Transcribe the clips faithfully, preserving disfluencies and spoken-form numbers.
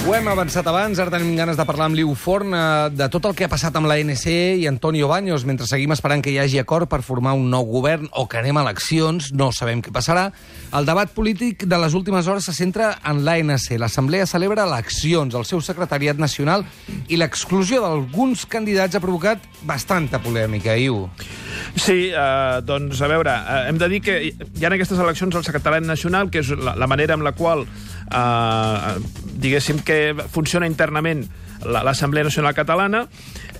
Ho hem avançat abans, ara tenim ganes de parlar amb Liu Forn de tot el que ha passat amb l'A N C i Antonio Baños, mentre seguim esperant que hi hagi acord per formar un nou govern o que anem a eleccions, no sabem què passarà. El debat polític de les últimes hores se centra en l'A N C. L'Assemblea celebra eleccions, el seu secretariat nacional i l'exclusió d'alguns candidats ha provocat bastanta polèmica, Iu. Sí, eh, doncs, a veure, eh, hem de dir que hi ha en aquestes eleccions el secretariat nacional, que és la, la manera amb la qual, eh, diguéssim, que funciona internament l'Assemblea Nacional Catalana.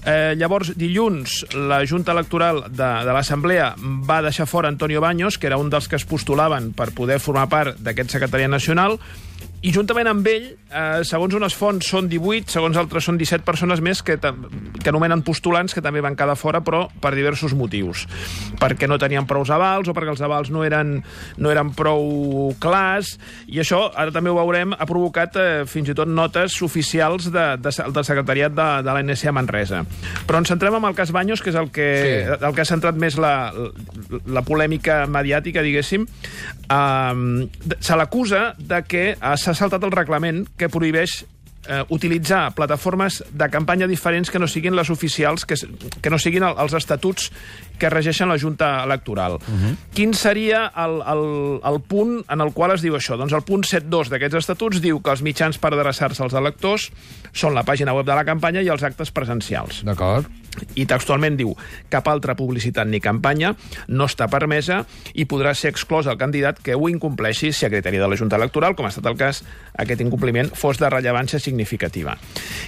Eh, llavors, dilluns, la Junta Electoral de, de l'Assemblea va deixar fora Antonio Baños, que era un dels que es postulaven per poder formar part d'aquest secretariat nacional, i juntament amb ell, eh, segons unes fonts són divuit, segons altres són disset persones més que, que anomenen postulants, que també van quedar fora, però per diversos motius. Perquè no tenien prous avals o perquè els avals no eren, no eren prou clars, i això, ara també ho veurem, ha provocat eh, fins i tot notes oficials de, de, del secretariat de, de l'A N C a Manresa. Però ens centrem en el cas Baños, que és el que, sí. el que ha centrat més la, la polèmica mediàtica, diguéssim. Uh, se l'acusa de que s'ha saltat el reglament que prohibeix eh, utilitzar plataformes de campanya diferents que no siguin les oficials, que, que no siguin el, els estatuts que regeixen la Junta Electoral. Uh-huh. Quin seria el, el, el punt en el qual es diu això? Doncs el punt set dos d'aquests estatuts diu que els mitjans per adreçar-se als electors són la pàgina web de la campanya i els actes presencials. D'acord. I textualment diu: cap altra publicitat ni campanya no està permesa i podrà ser exclòs el candidat que ho incompleixi si a criteri de la Junta Electoral, com ha estat el cas, aquest incompliment fos de rellevància significativa.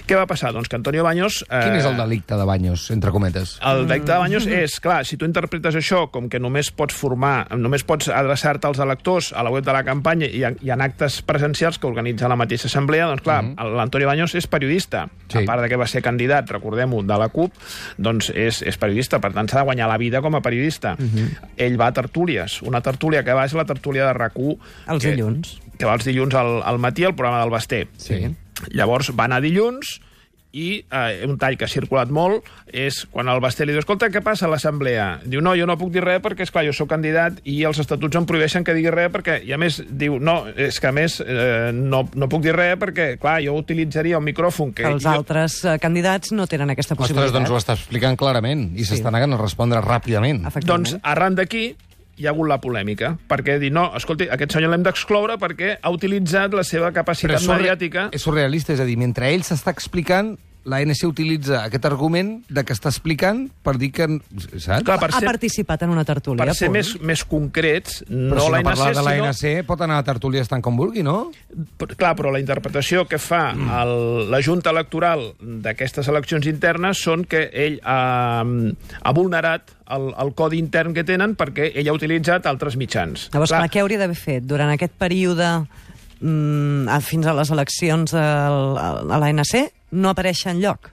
Què va passar? Doncs que Antonio Baños... Eh... Quin és el delicte de Baños, entre cometes? El delicte de Baños és, clar, si tu interpretes això com que només pots formar, només pots adreçar-te als electors a la web de la campanya i en, i en actes presencials que organitza la mateixa assemblea, doncs clar, uh-huh. l'Antonio Baños és periodista, sí. A part de que va ser candidat, recordem-ho, de la CUP, doncs és, és periodista, per tant s'ha de guanyar la vida com a periodista. Uh-huh. Ell va a tertúlies, una tertúlia que va és la tertúlia de RAC u. Els que, dilluns. Que va els dilluns al, al matí, al programa del Basté. Sí. Llavors va anar dilluns i eh, un tall que ha circulat molt és quan el Basté li diu: escolta, què passa a l'Assemblea? Diu: no, jo no puc dir res perquè, esclar, jo sóc candidat i els estatuts em prohibeixen que digui res perquè, i a més, diu, no, és que a més eh, no, no puc dir res perquè, clar, jo utilitzaria un micròfon que... Els jo... altres eh, candidats no tenen aquesta possibilitat. Ostres, doncs ho està explicant clarament i s'està sí. negant a respondre ràpidament. Doncs arran d'aquí hi ha hagut la polèmica, perquè dir, no, escolti, aquest senyor l'hem d'excloure perquè ha utilitzat la seva capacitat Però és mediàtica... És surrealista, és a dir, mentre ell s'està explicant, l'A N C utilitza aquest argument de que està explicant per dir que... Saps? Clar, per ha ser, participat en una tertúlia. per ser més, més concrets, no però si l'A no N C, parlar de l'A N C sinó... pot anar a tertúlies tant com vulgui, no? Però, clar, però la interpretació que fa el, la Junta Electoral d'aquestes eleccions internes són que ell ha, ha vulnerat el, el codi intern que tenen perquè ell ha utilitzat altres mitjans. Llavors, clar, què hauria d'haver fet durant aquest període mm, fins a les eleccions al, a l'A N C? No aparèixer enlloc.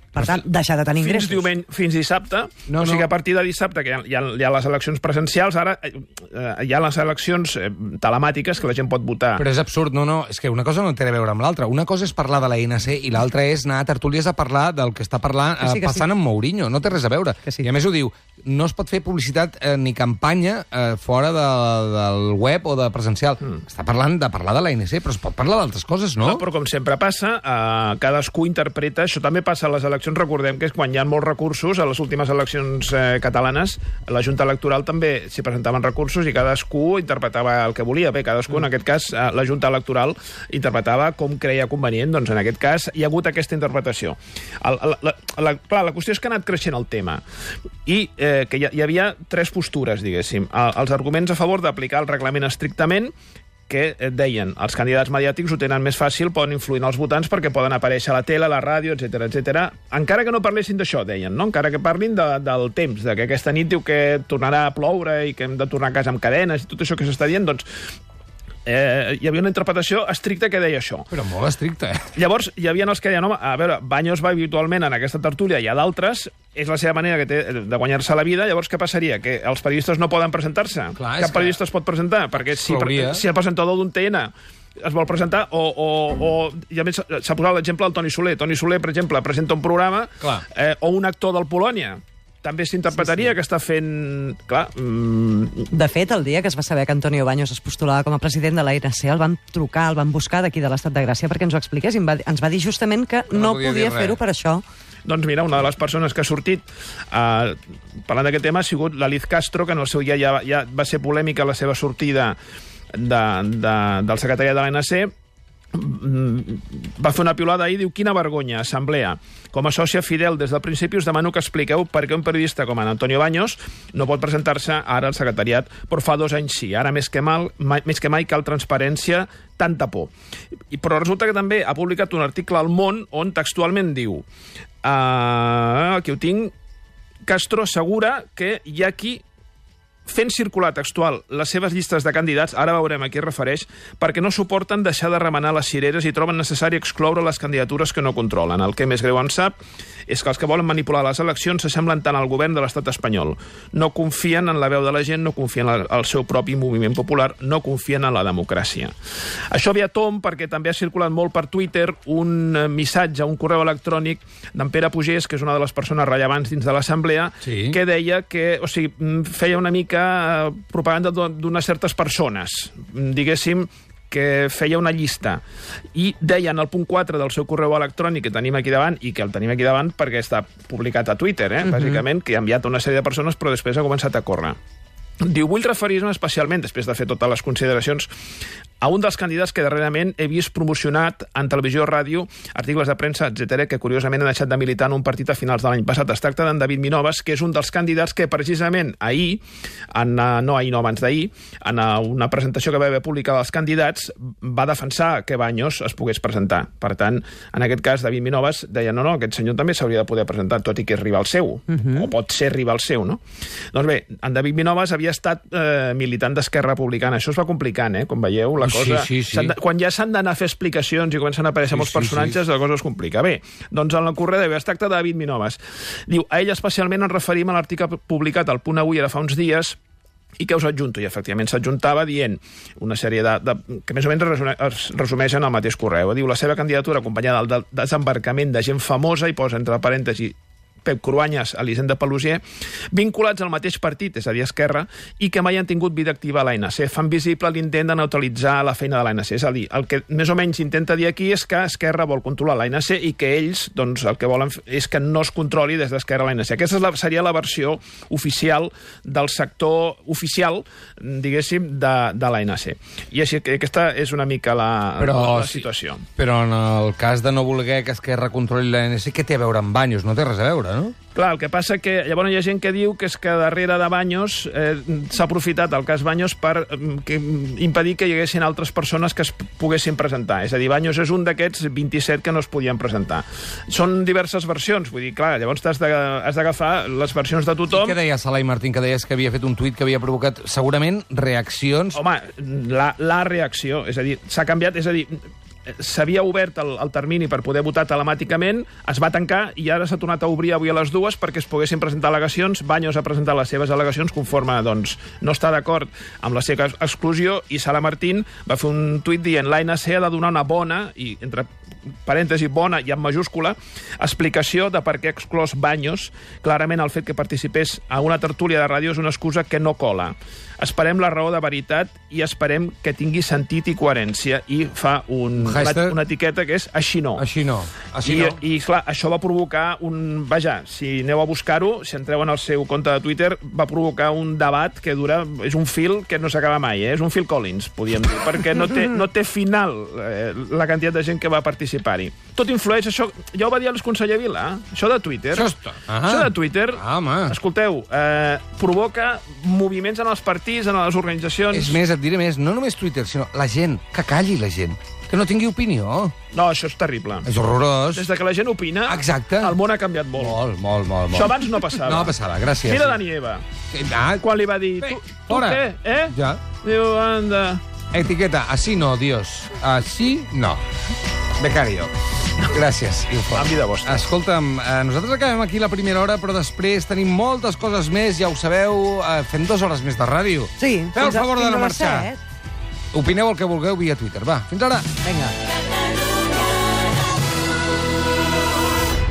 Per tant, deixar de tenir fins ingressos. Diumenge, fins dissabte, no, o sigui, no. a partir de dissabte, que hi ha, hi ha, hi ha les eleccions presencials, ara eh, hi ha les eleccions eh, telemàtiques que la gent pot votar. Però és absurd, no, no, és que una cosa no té a veure amb l'altra. Una cosa és parlar de l'A N C i l'altra és anar a tertúlies a parlar del que està parlant, que sí, que passant sí. amb Mourinho. No té res a veure. Sí. I a més ho diu, no es pot fer publicitat eh, ni campanya eh, fora de, del web o de presencial. Mm. Està parlant de parlar de l'A N C, però es pot parlar d'altres coses, no? Clar, però com sempre passa, eh, cadascú interpreta... Això també passa a les eleccions, recordem que és quan hi ha molts recursos, a les últimes eleccions eh, catalanes, la Junta Electoral també s'hi presentaven recursos i cadascú interpretava el que volia. Bé, cadascú, mm. en aquest cas, eh, la Junta Electoral interpretava com creia convenient. Doncs en aquest cas hi ha hagut aquesta interpretació. El, la, la, la, clar, la qüestió és que ha anat creixent el tema i eh, que hi, hi havia tres postures, diguéssim. El, els arguments a favor d'aplicar el reglament estrictament, que deien, els candidats mediàtics ho tenen més fàcil, poden influir en els votants perquè poden aparèixer a la tele, a la ràdio, etcètera, etcètera. Encara que no parlessin d'això, deien, no? Encara que parlin de, del temps, de que aquesta nit diu que tornarà a ploure i que hem de tornar a casa amb cadenes i tot això que s'està dient, doncs eh, hi havia una interpretació estricta que deia això. Però molt estricta, eh? Llavors, hi havia els que deien, home, a veure, Baños va habitualment en aquesta tertúlia, hi ha d'altres, és la seva manera que té de guanyar-se la vida, llavors què passaria? Que els periodistes no poden presentar-se? Clar, Cap periodista es pot presentar? Perquè si, per, si el presentador d'un T N es vol presentar, o, o, o i a més s'ha posat l'exemple del Toni Soler. Toni Soler, per exemple, presenta un programa, eh, o un actor del Polònia també s'interpretaria sí, sí. que està fent... Clar... Mm... De fet, el dia que es va saber que Antonio Baños es postulava com a president de l'A N C, el van trucar, el van buscar d'aquí de l'Estat de Gràcia perquè ens ho expliqués i ens va dir justament que no, no podia, podia fer-ho per això. Doncs mira, una de les persones que ha sortit eh, parlant d'aquest tema ha sigut la Liz Castro, que en el seu dia ja, ja va ser polèmica la seva sortida de, de, del secretariat de l'A N C. Va fer una piulada ahir, diu: quina vergonya, assemblea. Com a sòcia fidel des del principi us demano que expliqueu per què un periodista com en Antonio Baños no pot presentar-se ara al secretariat, però fa dos anys sí. Ara més que, mal, mai, més que mai cal transparència, tanta por. I, però resulta que també ha publicat un article al Món on textualment diu, uh, aquí ho tinc, Castro assegura que hi ha qui fent circular textual les seves llistes de candidats, ara veurem a qui es refereix, perquè no suporten deixar de remenar les cireres i troben necessari excloure les candidatures que no controlen. El que més greu en sap és que els que volen manipular les eleccions s'assemblen tant al govern de l'estat espanyol. No confien en la veu de la gent, no confien en el seu propi moviment popular, no confien en la democràcia. Això ve a tomb perquè també ha circulat molt per Twitter un missatge, un correu electrònic d'en Pere Pugès, que és una de les persones rellevants dins de l'Assemblea, sí. que deia que, o sigui, feia una mica propaganda d'unes certes persones, diguéssim, que feia una llista, i deia en el punt quatre del seu correu electrònic, que tenim aquí davant, i que el tenim aquí davant perquè està publicat a Twitter, eh? uh-huh. bàsicament, que ha enviat a una sèrie de persones, però després ha començat a córrer. Diu, vull referir-me especialment, després de fer totes les consideracions, a un dels candidats que darrerament he vist promocionat en televisió, ràdio, articles de premsa, etcètera, que curiosament ha deixat de militar en un partit a finals de l'any passat. Es tracta d'en David Minoves, que és un dels candidats que precisament ahir, en, no ahir, no abans d'ahir, en una presentació que va haver publicada dels candidats, va defensar que Baños es pogués presentar. Per tant, en aquest cas, David Minoves deia, no, no, aquest senyor també s'hauria de poder presentar, tot i que és rival seu, uh-huh. o pot ser rival seu, no? Doncs bé, en David Minoves havia estat eh, militant d'Esquerra Republicana. Això es va complicant, eh? Com veieu, la cosa... Sí, sí, sí. De, quan ja s'han d'anar a fer explicacions i comencen a aparèixer sí, molts personatges, sí, sí. la cosa es complica. Bé, doncs en la correda es tracta de David Minoves. Diu, a ell especialment ens referim a l'article publicat al Punt Avui ara fa uns dies i que us adjunto, i efectivament s'adjuntava dient una sèrie de, de que més o menys es resumeixen al mateix correu. Diu, la seva candidatura acompanyada del desembarcament de gent famosa, i posa entre parèntesis Pep Cruanyes, Elisenda Pelusier, vinculats al mateix partit, és a dir, Esquerra, i que mai han tingut vida activa a l'A N C. Fan visible l'intent de neutralitzar la feina de l'A N C. És a dir, el que més o menys intenta dir aquí és que Esquerra vol controlar l'A N C i que ells, doncs, el que volen és que no es controli des d'Esquerra a l'A N C. Aquesta és la, seria la versió oficial del sector oficial, diguéssim, de, de l'A N C. I així que aquesta és una mica la, però, la, la situació. Sí, però en el cas de no voler que Esquerra controli l'A N C, què té a veure amb Baños? No té res a veure, no? Clar, el que passa que llavors hi ha gent que diu que és que darrere de Baños eh, s'ha aprofitat el cas Baños per eh, que, impedir que hi haguessin altres persones que es poguessin presentar. És a dir, Baños és un d'aquests vint-i-set que no es podien presentar. Són diverses versions, vull dir, clar, llavors has d'agafar les versions de tothom. I què deia Salai Martín, que deies que havia fet un tuit que havia provocat segurament reaccions? Home, la, la reacció, és a dir, s'ha canviat, és a dir, s'havia obert el, el termini per poder votar telemàticament, es va tancar i ara s'ha tornat a obrir avui a les dues perquè es poguessin presentar al·legacions. Baños ha presentat les seves al·legacions conforme doncs, no està d'acord amb la seva exclusió, i Sala Martín va fer un tuit dient l'A N C ha de donar una bona, i entre parèntesi bona i en majúscula, explicació de per què ha exclòs Baños. Clarament el fet que participés a una tertúlia de ràdio és una excusa que no cola. Esperem la raó de veritat i esperem que tingui sentit i coherència, i fa un, una, una etiqueta que és així no. Així no. Així I, no. I, clar, això va provocar un... Vaja, si aneu a buscar-ho, si entreu en el seu compte de Twitter, va provocar un debat que dura... És un fil que no s'acaba mai, eh? És un Phil Collins, podríem dir, perquè no té, no té final eh, la quantitat de gent que va participar-hi. Tot influeix, això... Ja ho va dir el conseller Vila, eh? Això de Twitter. Això, està... això de Twitter, ah, escolteu, eh, provoca moviments en els partits, en les organitzacions... És més, et diré més, no només Twitter, sinó la gent, que calli la gent, que no tingui opinió. No, això és terrible. És horrorós. Des de que la gent opina, exacte, el món ha canviat molt. Molt, molt, molt. Això abans no passava. No passava, gràcies. Mira Dani Eva, ah, quan li va dir... Bé, tu, tu què, eh? Ja. Diu, anda... Etiqueta, así no, Dios. Así no. Becario. Gràcies. Amb vida vostra. Escolta'm, eh, nosaltres acabem aquí la primera hora, però després tenim moltes coses més, ja ho sabeu, eh, fem dues hores més de ràdio. Sí. Feu el favor de no marxar. Set. Opineu el que vulgueu via Twitter. Va, fins ara. Vinga.